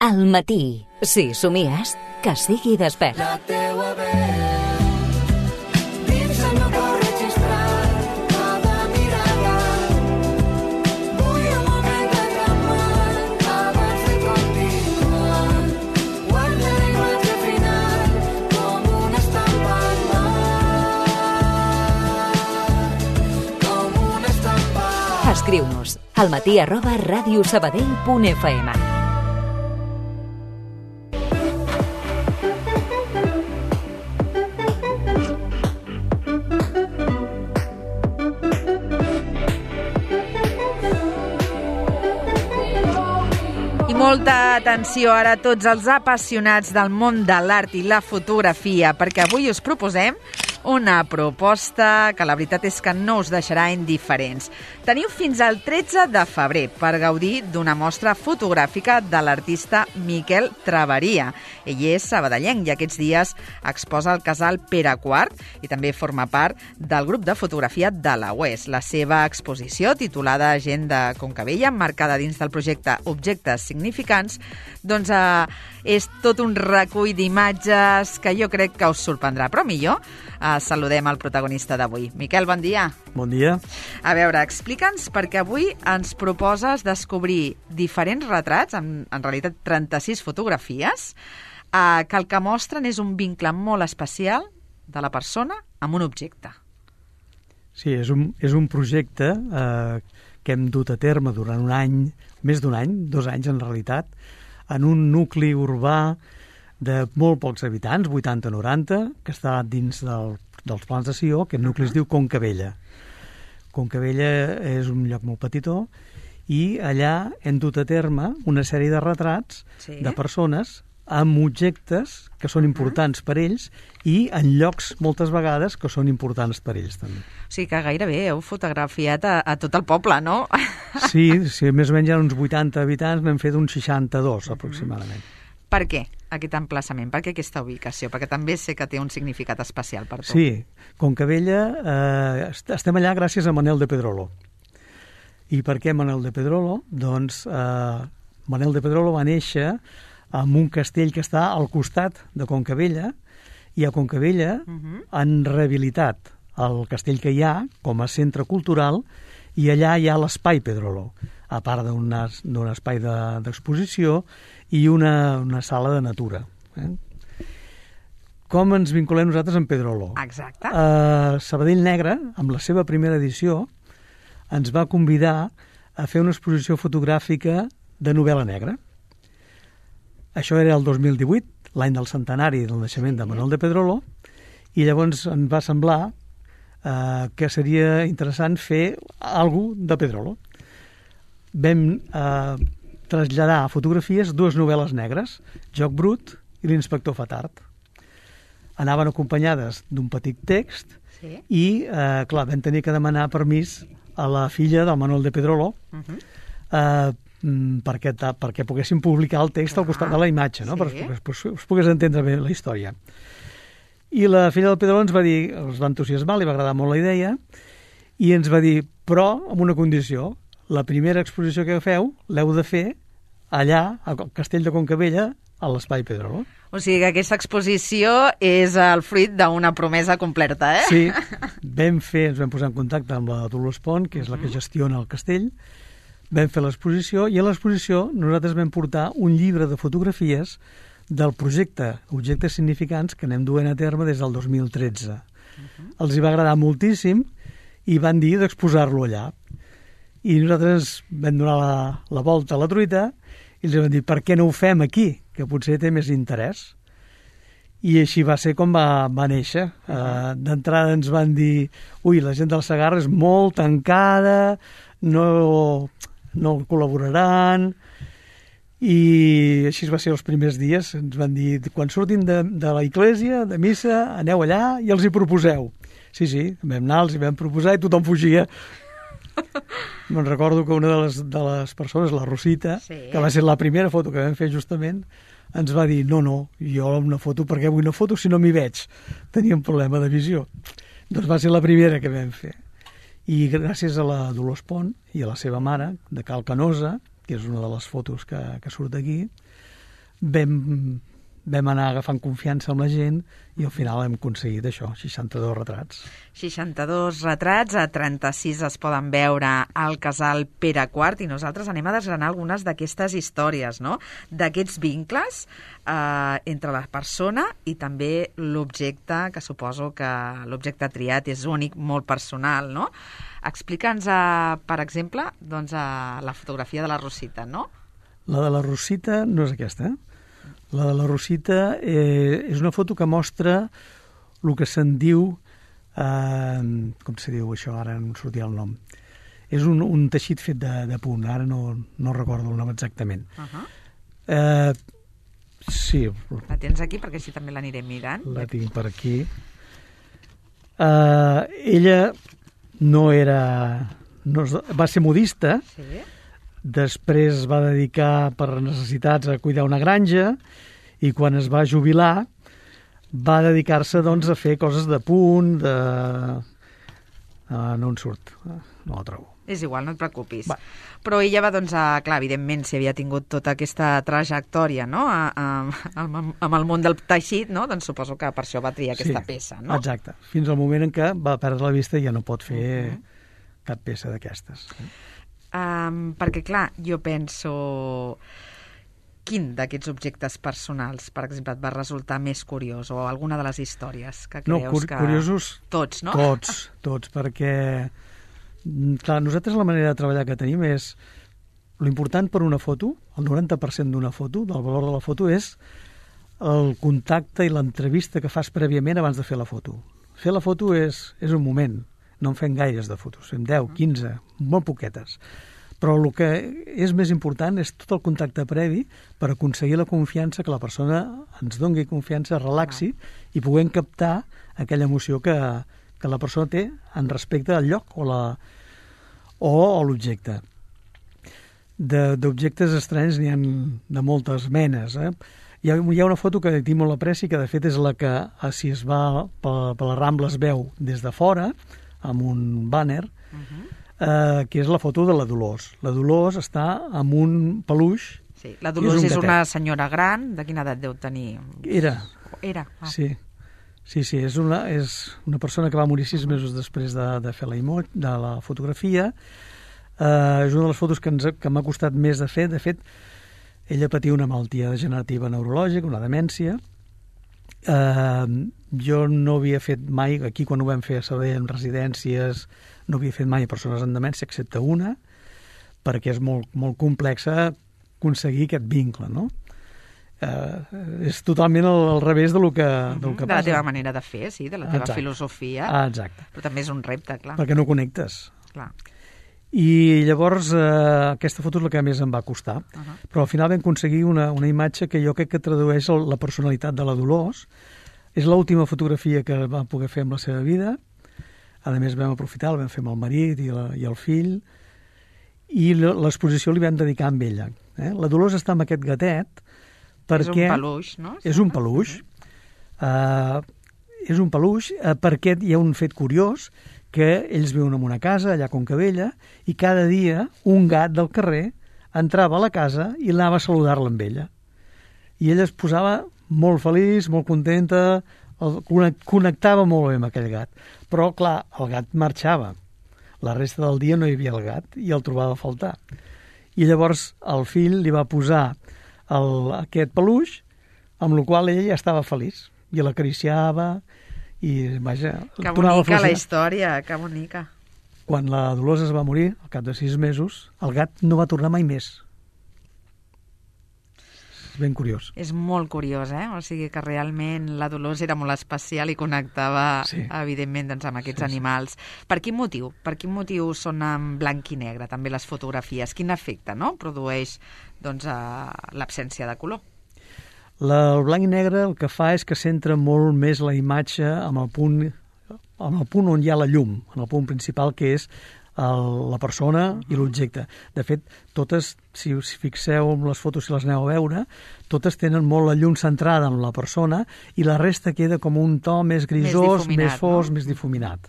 Al matí, si somies, que sigui despert. La teua veu dins el meu cor registrat, cada mirada. Vull un moment de calmar abans de continuar. Guarda la imatge final com una estampa al mar, com una estampa. Escriu-nos almatí@radiosabadell.fm. Molta atenció ara a tots els apassionats del món de l'art i la fotografia, perquè avui us proposem una proposta que la veritat és que no us deixarà indiferents. Teniu fins al 13 de febrer per gaudir d'una mostra fotogràfica de l'artista Miquel Traveria. Ell és sabadellenc i aquests dies exposa al casal Pere IV i també forma part del grup de fotografia de la UES. La seva exposició, titulada Gent de Concabella, marcada dins del projecte Objectes Significants, doncs és tot un recull d'imatges que jo crec que us sorprendrà. Però millor, saludem el protagonista d'avui. Miquel, bon dia. Bon dia. A veure, explica'ns, perquè avui ens proposes descobrir diferents retrats, en realitat 36 fotografies, que el que mostren és un vincle molt especial de la persona amb un objecte. Sí, és un projecte que hem dut a terme durant un any, més d'un any, 2 anys en realitat, en un nucli urbà de molt pocs habitants, 80-90, que està dins dels plans de Sió. Aquest nucli es diu Concabella. Concabella és un lloc molt petitó i allà hem dut a terme una sèrie de retrats de persones amb objectes que són importants per ells i en llocs, moltes vegades, que són importants per ells també. O sigui que gairebé heu fotografiat a tot el poble, no? Sí, més o menys hi ha uns 80 habitants, n'hem fet uns 62 aproximadament. Per què aquest emplaçament? Per què aquesta ubicació? Perquè també sé que té un significat especial per tu. Sí, Concabella, estem allà gràcies a Manel de Pedrolo. I per què Manel de Pedrolo? Doncs Manel de Pedrolo va néixer en un castell que està al costat de Concabella, i a Concabella han rehabilitat el castell que hi ha com a centre cultural, i allà hi ha l'Espai Pedrolo, a part d'un espai d'exposició i una sala de natura. Com ens vinculem nosaltres amb Pedrolo? Exacte. Sabadell Negre, amb la seva primera edició, ens va convidar a fer una exposició fotogràfica de novel·la negra. Això era el 2018, l'any del centenari del naixement de Manuel de Pedrolo, i llavors ens va semblar que seria interessant fer alguna cosa de Pedrolo. Vam traslladar a fotografies 2 novel·les negres, Joc Brut i l'Inspector Fatard. Anaven acompanyades d'un petit text i, clar, vam tenir que demanar permís a la filla del Manuel de Pedrolo perquè poguéssim publicar el text al costat de la imatge, no? Perquè us pogués entendre bé la història. I la filla del Pedrolo ens va dir, els va entusiasmar, li va agradar molt la idea, i ens va dir, però amb una condició: la primera exposició que feu l'heu de fer allà, al castell de Concabella, a l'Espai Pedrolo. O sigui que aquesta exposició és el fruit d'una promesa completa, eh? Sí, ens vam posar en contacte amb la Dolors Pont, que és la que gestiona el castell, vam fer l'exposició, i a l'exposició nosaltres vam portar un llibre de fotografies del projecte Objectes Significants que anem duent a terme des del 2013. Els hi va agradar moltíssim i van dir d'exposar-lo allà. I nosaltres vam donar la volta a la truita i els vam dir, per què no ho fem aquí, que potser té més interès? I així va ser com va néixer. D'entrada ens van dir, la gent del Segarra és molt tancada, no col·laboraran, i així va ser els primers dies. Ens van dir, quan surtin de la església, de missa, aneu allà i els hi proposeu. Sí, vam anar, els hi vam proposar i tothom fugia. Me'n recordo que una de les persones, la Rosita, que va ser la primera foto que vam fer justament, ens va dir, no, jo una foto, per què vull una foto si no m'hi veig? Tenia un problema de visió. Doncs va ser la primera que vam fer. I gràcies a la Dolors Pont i a la seva mare, de Cal Canosa, que és una de les fotos que surt aquí, vam anar agafant confiança amb la gent i al final hem aconseguit això, 62 retrats. 62 retrats, a 36 es poden veure al casal Pere IV, i nosaltres anem a desgranar algunes d'aquestes històries, no? D'aquests vincles entre la persona i també l'objecte, que suposo que l'objecte triat és únic, molt personal, no? Explica'ns, per exemple, doncs, la fotografia de la Rosita, no? La de la Rosita no és aquesta, La de la Rosita és una foto que mostra el que se'n diu, com se diu això, ara no em sortia el nom. És un teixit fet de punt, ara no recordo el nom exactament. Sí. La tens aquí perquè així també l'anirem mirant. La tinc per aquí. Ella va ser modista, Sí. després es va dedicar per necessitats a cuidar una granja i quan es va jubilar va dedicar-se doncs, a fer coses de punt, no en surt, no la trobo. És igual, no et preocupis. Va. Però ella va, doncs, clar, evidentment, si havia tingut tota aquesta trajectòria, no?, amb el món del teixit, no?, doncs suposo que per això va triar aquesta peça, no? Exacte, fins al moment en què va perdre la vista i ja no pot fer cap peça d'aquestes. Perquè, clar, jo penso... Quin d'aquests objectes personals, per exemple, et va resultar més curiós, o alguna de les històries que creus que... Curiosos... Tots, no? Tots, perquè... Clar, nosaltres la manera de treballar que tenim és... L'important per una foto, el 90% d'una foto, del valor de la foto, és el contacte i l'entrevista que fas prèviament abans de fer la foto. Fer la foto és un moment, no en fem gaires de fotos, fem 10, 15, molt poquetes. Però el que és més important és tot el contacte previ per aconseguir la confiança, que la persona ens doni confiança, relaxi i puguem captar aquella emoció que la persona té en respecte al lloc o l'objecte. D'objectes estranys n'hi ha de moltes menes. Hi ha una foto que tinc molt apreci, que de fet és la que, si es va per la Rambla, es veu des de fora, amb un bàner, que és la foto de la Dolors. La Dolors està amb un peluix. Sí, la Dolors és una senyora gran. De quina edat deu tenir? Era. Sí, és una persona que va morir 6 mesos després de fer de la fotografia. És una de les fotos que m'ha costat més de fer. De fet, ella patia una malaltia degenerativa neurològica, una demència. Jo no havia fet mai, aquí quan ho vam fer a Sabadell en residències, no havia fet mai a persones amb demència, excepte una, perquè és molt, molt complexa aconseguir aquest vincle, no? És totalment al revés del que passa. De la teva manera de fer, sí, de la teva filosofia. Exacte. Però també és un repte, clar. Perquè no connectes. Clar. I llavors aquesta foto és la que més em va costar. Però al final vam aconseguir una imatge que jo crec que tradueix la personalitat de la Dolors. És l'última fotografia que va poder fer amb la seva vida. A més vam aprofitar, la vam fer amb el marit i el fill, i l'exposició li vam dedicar amb ella. La Dolors està amb aquest gatet perquè... És un peluix, no? És un peluix. És un peluix perquè hi ha un fet curiós, que ells viuen en una casa allà a Concabella i cada dia un gat del carrer entrava a la casa i anava a saludar-la amb ella. I ella es posava molt feliç, molt contenta, connectava molt bé amb aquell gat. Però, clar, el gat marxava. La resta del dia no hi havia el gat i el trobava a faltar. I llavors el fill li va posar aquest peluix, amb el qual ella ja estava feliç. I l'acariciava i, vaja... Que bonica la història, que bonica. Quan la Dolors es va morir, al cap de 6 mesos, el gat no va tornar mai més. És ben curiós. És molt curiós, O sigui que realment la Dolors era molt especial i connectava, evidentment, doncs, amb aquests animals. Per quin motiu? Per quin motiu són en blanc i negre, també les fotografies? Quin efecte, produeix doncs, l'absència de color? El blanc i negre el que fa és que centra molt més la imatge amb el punt on hi ha la llum, en el punt principal, que és la persona i l'objecte. De fet, totes, si us fixeu en les fotos, si les aneu a veure, totes tenen molt la llum centrada en la persona i la resta queda com un to més grisós, més fosc, més difuminat.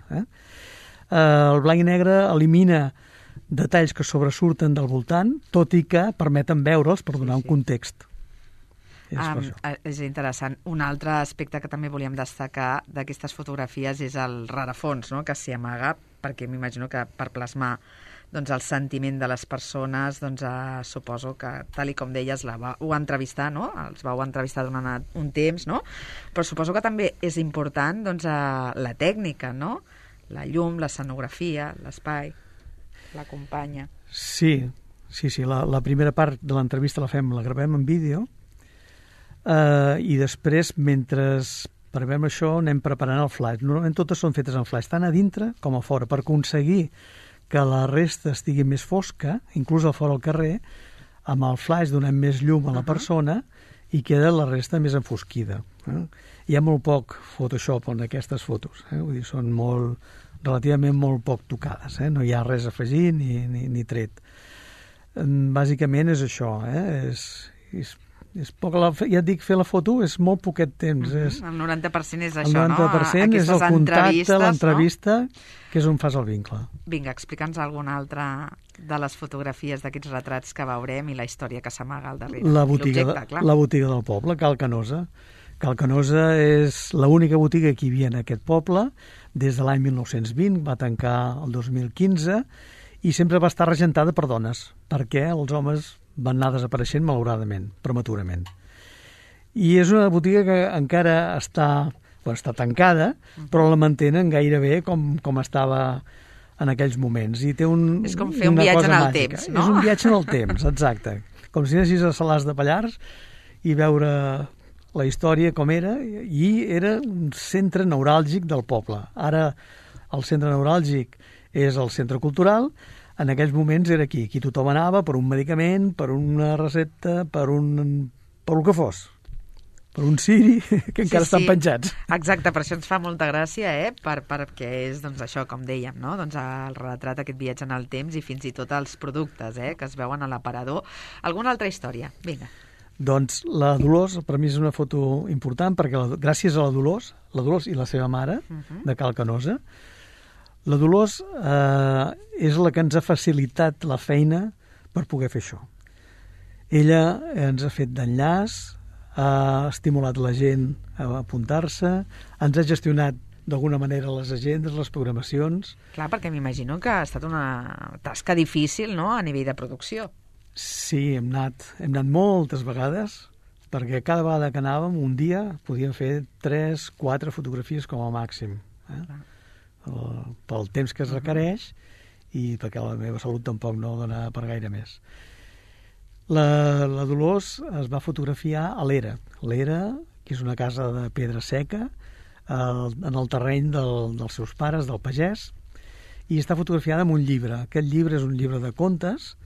El blanc i negre elimina detalls que sobresurten del voltant, tot i que permeten veure'ls per donar un context. És per això. És interessant. Un altre aspecte que també volíem destacar d'aquestes fotografies és el rerefons, no?, que s'hi amaga, perquè m'imagino que per plasmar doncs, el sentiment de les persones, doncs, suposo que, tal i com deies, vau entrevistar, no?, els vau entrevistar durant un temps, no?, però suposo que també és important doncs, la tècnica, no?, la llum, l'escenografia, l'espai, l'acompanya. Sí, la primera part de l'entrevista la gravem en vídeo, i després, mentre preparem això, anem preparant el flash. Normalment totes són fetes en flash, tant a dintre com a fora, per aconseguir que la resta estigui més fosca, inclús a fora al carrer, amb el flash donem més llum a la persona i queda la resta més enfosquida. Hi ha molt poc Photoshop en aquestes fotos, vull dir, són relativament molt poc tocades, no hi ha res a afegir ni tret. Bàsicament és això, és poc, ja et dic, fer la foto és molt poquet temps. El 90% és això, no? El 90% és el contacte, l'entrevista, que és on fas el vincle. Vinga, explica'ns alguna altra de les fotografies d'aquests retrats que veurem i la història que s'amaga al darrere. La botiga del poble, Cal Canosa. Cal Canosa és l'única botiga que hi havia en aquest poble des de l'any 1920, va tancar el 2015 i sempre va estar regentada per dones, perquè els homes van anar desapareixent malauradament, prematurament. I és una botiga que encara està tancada, però la mantenen gairebé com estava en aquells moments. I té és com fer un viatge en el temps, no? És un viatge en el temps, exacte. Com si anessis a Salàs de Pallars i veure la història com era, i era un centre neuràlgic del poble. Ara el centre neuràlgic és el centre cultural. En aquells moments era aquí tothom anava per un medicament, per una recepta, per el que fos, per un ciri, que encara estan penjats. Exacte, per això ens fa molta gràcia, perquè és doncs, això, com dèiem, no? Doncs el retrat, aquest viatge en el temps i fins i tot els productes que es veuen a l'aparador. Alguna altra història? Vinga. Doncs la Dolors, per mi és una foto important, perquè gràcies a la Dolors i la seva mare, de Cal Canosa, la Dolors és la que ens ha facilitat la feina per poder fer això. Ella ens ha fet d'enllaç, ha estimulat la gent a apuntar-se, ens ha gestionat d'alguna manera les agendes, les programacions. Clar, perquè m'imagino que ha estat una tasca difícil, no?, a nivell de producció. Sí, hem anat moltes vegades, perquè cada vegada que anàvem, un dia, podíem fer 3-4 fotografies com a màxim. Pel temps que es requereix i perquè la meva salut tampoc no dona per gaire més. La Dolors es va fotografiar a l'Era. L'Era, que és una casa de pedra seca, en el terreny dels seus pares, del pagès, i està fotografiada amb un llibre. Aquest llibre és un llibre de contes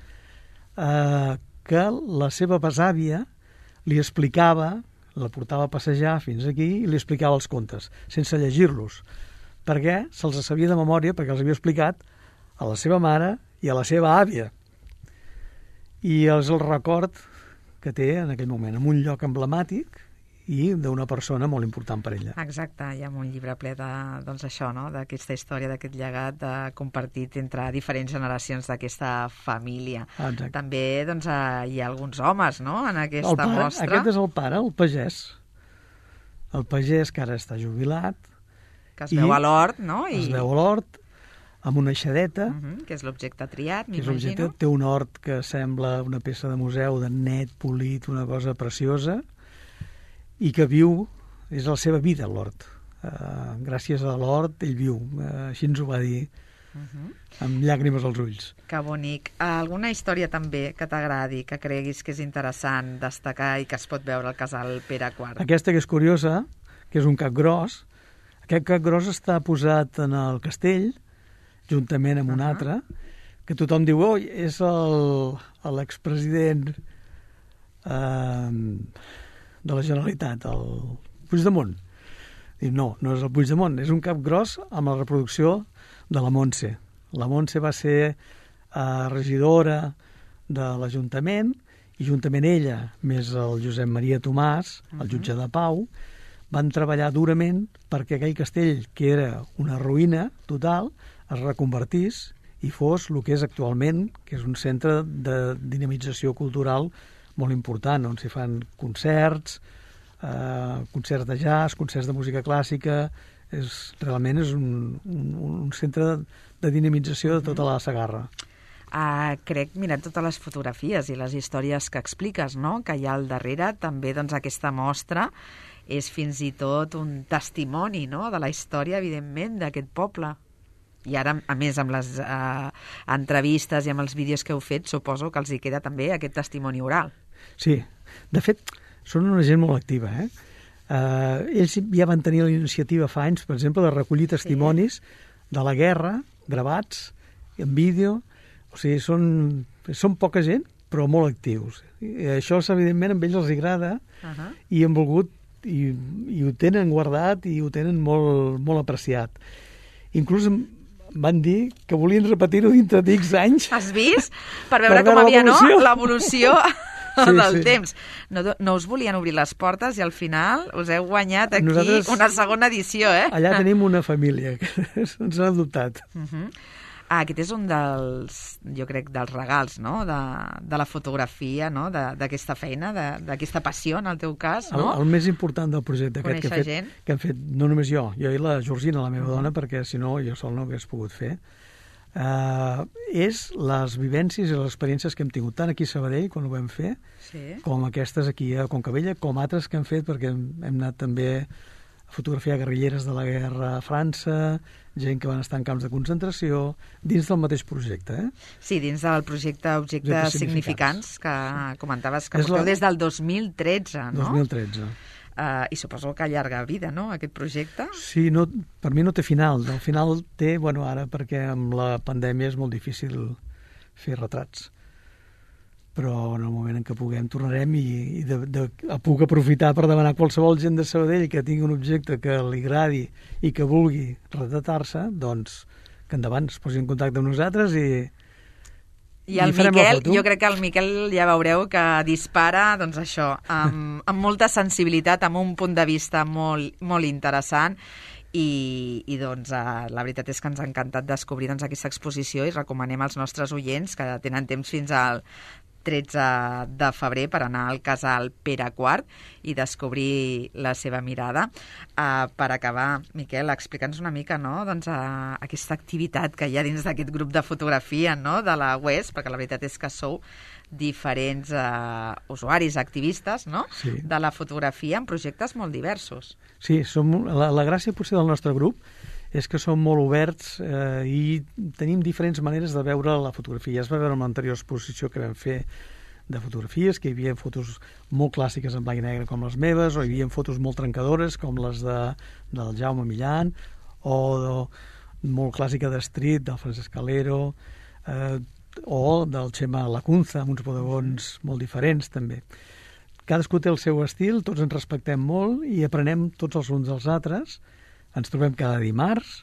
que la seva besàvia li explicava, la portava a passejar fins aquí i li explicava els contes, sense llegir-los, perquè se'ls sabia de memòria, perquè els havia explicat a la seva mare i a la seva àvia. I és el record que té en aquell moment, en un lloc emblemàtic i d'una persona molt important per ella. Exacte, hi ha un llibre ple d'això, no?, d'aquesta història, d'aquest llegat compartit entre diferents generacions d'aquesta família. Exacte. També hi ha alguns homes, no?, en aquesta mostra. Aquest és el pare, el pagès. El pagès que ara està jubilat. Que es veu a l'hort, no? Es veu a l'hort, amb una aixadeta. Que és l'objecte triat, m'imagino. Té un hort que sembla una peça de museu, de net, polit, una cosa preciosa, i que viu, és la seva vida, l'hort. Gràcies a l'hort ell viu, així ens ho va dir, amb llàgrimes als ulls. Que bonic. Alguna història també que t'agradi, que creguis que és interessant destacar i que es pot veure al casal Pere IV? Aquesta que és curiosa, que és un cap gros. Aquest cap gros està posat en el castell, juntament amb un altre, que tothom diu, oi, és l'expresident de la Generalitat, el Puigdemont. I no és el Puigdemont, és un cap gros amb la reproducció de la Montse. La Montse va ser regidora de l'Ajuntament i juntament ella, més el Josep Maria Tomàs, el jutge de pau, van treballar durament perquè aquell castell, que era una ruïna total, es reconvertís i fos el que és actualment, que és un centre de dinamització cultural molt important, on s'hi fan concerts, concerts de jazz, concerts de música clàssica. Realment és un centre de dinamització de tota la Segarra. Crec, mirant totes les fotografies i les històries que expliques, no?, que hi ha al darrere, també doncs, aquesta mostra és fins i tot un testimoni, no?, de la història, evidentment, d'aquest poble. I ara, a més, amb les entrevistes i amb els vídeos que heu fet, suposo que els hi queda també aquest testimoni oral. Sí, de fet, són una gent molt activa, ells ja van tenir la iniciativa fa anys, per exemple, de recollir testimonis de la guerra, gravats, en vídeo. O sigui, són poca gent, però molt actius. I això, evidentment, a ells els agrada i han volgut, i ho tenen guardat i ho tenen molt, molt apreciat. Inclús van dir que volien repetir-ho dintre d'X anys. Has vist? Per veure com havia, no?, l'evolució del temps. No us volien obrir les portes i al final us heu guanyat aquí una segona edició, Allà tenim una família que ens ha adoptat. Aquest és un dels, jo crec, dels regals, no?, de la fotografia, no?, d'aquesta feina, d'aquesta passió, en el teu cas, no? El més important del projecte aquest que hem fet, no només jo i la Georgina, la meva dona, perquè si no jo sol no ho hagués pogut fer, és les vivències i les experiències que hem tingut tant aquí a Sabadell, quan ho vam fer, com aquestes aquí a Concabella, com altres que hem fet, perquè hem anat també a fotografiar guerrilleres de la guerra a França, gent que van estar en camps de concentració, dins del mateix projecte. Sí, dins del projecte Objectes Significants, que comentaves que porteu des del 2013, no? 2013. I suposo que llarga vida, no?, aquest projecte? Sí, per mi no té final. El final té, ara perquè amb la pandèmia és molt difícil fer retrats. Però en el moment en què puguem tornarem i puc aprofitar per demanar a qualsevol gent de Sabadell que tingui un objecte que li agradi i que vulgui retratar-se, doncs que endavant es posi en contacte amb nosaltres i el Miquel, jo crec que el Miquel ja veureu que dispara, doncs això, amb molta sensibilitat, amb un punt de vista molt, molt interessant i doncs la veritat és que ens ha encantat descobrir doncs, aquesta exposició i recomanem als nostres oients que tenen temps fins al 13 de febrer per anar al casal Pere IV i descobrir la seva mirada. Per acabar, Miquel, explica'ns una mica, no?, doncs, aquesta activitat que hi ha dins d'aquest grup de fotografia, no?, de la UES, perquè la veritat és que sou diferents usuaris, activistes, no?, de la fotografia en projectes molt diversos. Sí, la gràcia potser del nostre grup és que som molt oberts i tenim diferents maneres de veure la fotografia. Ja es va veure en l'anterior exposició que vam fer de fotografies, que hi havia fotos molt clàssiques en blanc i negre com les meves, o hi havia fotos molt trencadores com les del Jaume Millan, o molt clàssica de Street, del Francesc Calero, o del Xema Lacunza, amb uns bodegons molt diferents, també. Cadascú té el seu estil, tots ens respectem molt i aprenem tots els uns dels altres. Ens trobem cada dimarts,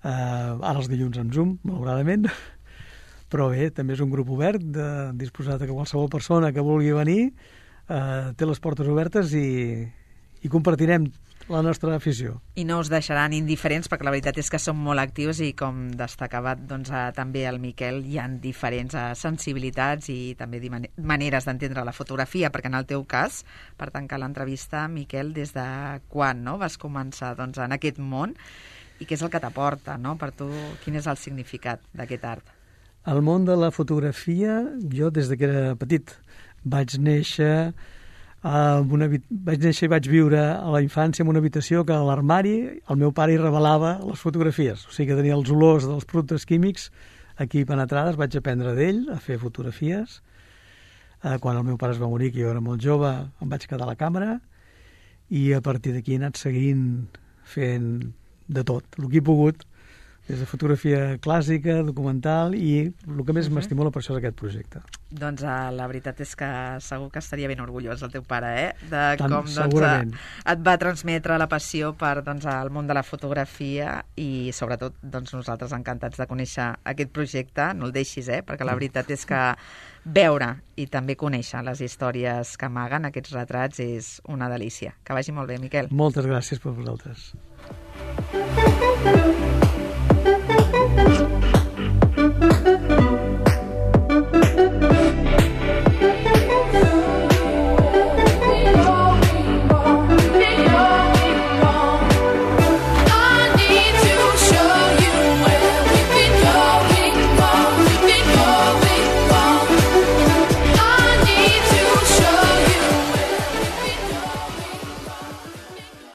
ara els dilluns en Zoom, malauradament, però bé, també és un grup obert, disposat a que qualsevol persona que vulgui venir té les portes obertes i compartirem la nostra afició. I no us deixaran indiferents, perquè la veritat és que som molt actius i, com destacava doncs, també el Miquel, hi ha diferents sensibilitats i també maneres d'entendre la fotografia, perquè en el teu cas, per tancar l'entrevista, Miquel, des de quan vas començar doncs, en aquest món i què és el que t'aporta, no? Per tu, quin és el significat d'aquest art? El món de la fotografia, jo des que era petit vaig néixer i vaig viure a la infància en una habitació que a l'armari el meu pare hi revelava les fotografies, o sigui que tenia els olors dels productes químics aquí penetrades. Vaig aprendre d'ell a fer fotografies. Quan el meu pare es va morir, que jo era molt jove, em vaig quedar a la càmera i a partir d'aquí he anat seguint fent de tot, el que he pogut, des de fotografia clàssica, documental, i el que més m'estimula per això és aquest projecte. Doncs la veritat és que segur que estaria ben orgullós el teu pare, de com et va transmetre la passió per el món de la fotografia i sobretot nosaltres encantats de conèixer aquest projecte. No el deixis, perquè la veritat és que veure i també conèixer les històries que amaguen aquests retrats és una delícia. Que vagi molt bé, Miquel. Moltes gràcies per vosaltres.